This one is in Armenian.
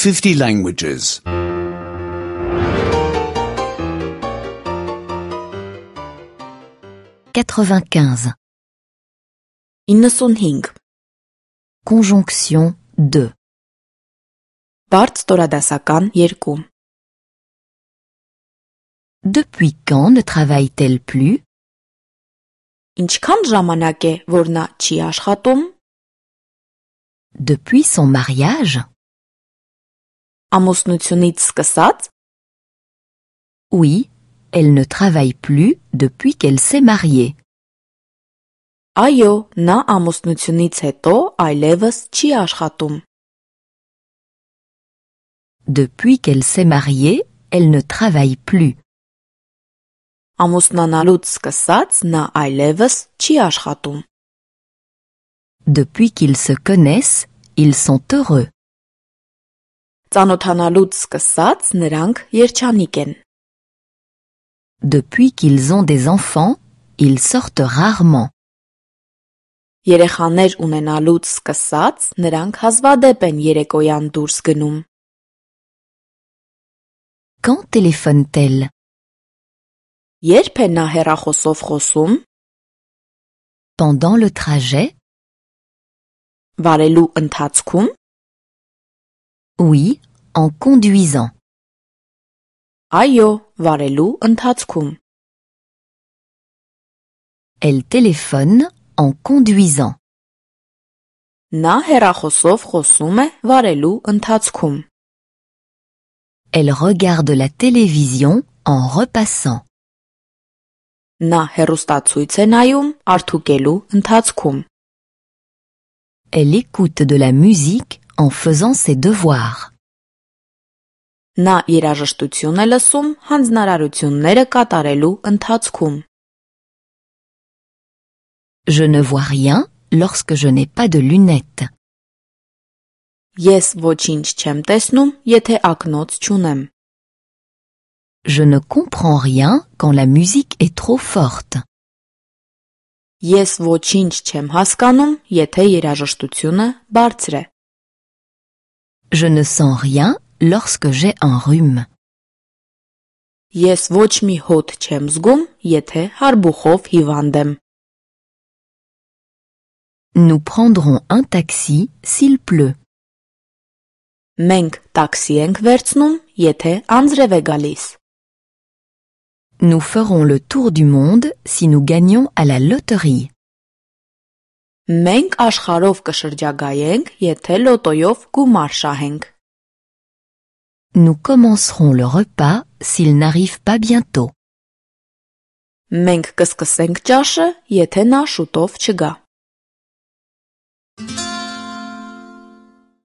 50 languages. 95. 95. Conjonction 2. Բարդ ստորադասական 2. Depuis quand ne travaille-t-elle plus? Ինչքան ժամանակ է, որ նա չի աշխատում? Depuis son mariage? Ամուսնությունից սկսած? Oui, elle ne travaille plus depuis qu'elle s'est mariée. Այո, նա ամուսնությունից հետո այլևս չի աշխատում. Depuis qu'elle s'est mariée, elle ne travaille plus. Ամուսնանալուց սկսած նա այլևս չի աշխատում. Depuis qu'ils se connaissent, ils sont heureux. Ծանոթանալուց սկսած նրանք երջանիկ են. Depuis qu'ils ont des enfants, ils sortent rarement. Երեխաներ ունենալուց սկսած նրանք հազվադեպ են երեկոյան դուրս գնում. Quand téléphone-t-elle? Երբ է նա հեռախոսով խոսում? Pendant le trajet? Վարելու ընթացքում? Oui, en conduisant. Այո, վարելու ընթացքում. Elle téléphone en conduisant. Նա հեռախոսով խոսում է վարելու ընթացքում. Elle regarde la télévision en repassant. Նա հեռուստացույց է նայում արդուկելու ընթացքում. Elle écoute de la musique en faisant ses devoirs. Նա երաժշտություն է լսում հանձնարարությունները կատարելու ընթացքում. Je ne vois rien lorsque je n'ai pas de lunettes. Ես ոչինչ չեմ տեսնում, եթե ակնոց չունեմ. Je ne comprends rien quand la musique est trop forte. Ես ոչինչ չեմ հասկանում, եթե երաժշտությունը բարձր է. Je ne sens rien lorsque j'ai un rhume. Ես ոչ մի հոտ չեմ զգում, եթե հարբուխով հիվանդ եմ. Nous prendrons un taxi s'il pleut. Մենք տաքսի ենք վերցնում, եթե անձրև է գալիս. Nous ferons le tour du monde si nous gagnons à la loterie. Մենք աշխարհով կշրջագայենք, եթե լոտոյով գումար շահենք. Nous commencerons le repas s'il n'arrive pas bientôt. Մենք կսկսենք ճաշը, եթե նա շուտով չգա.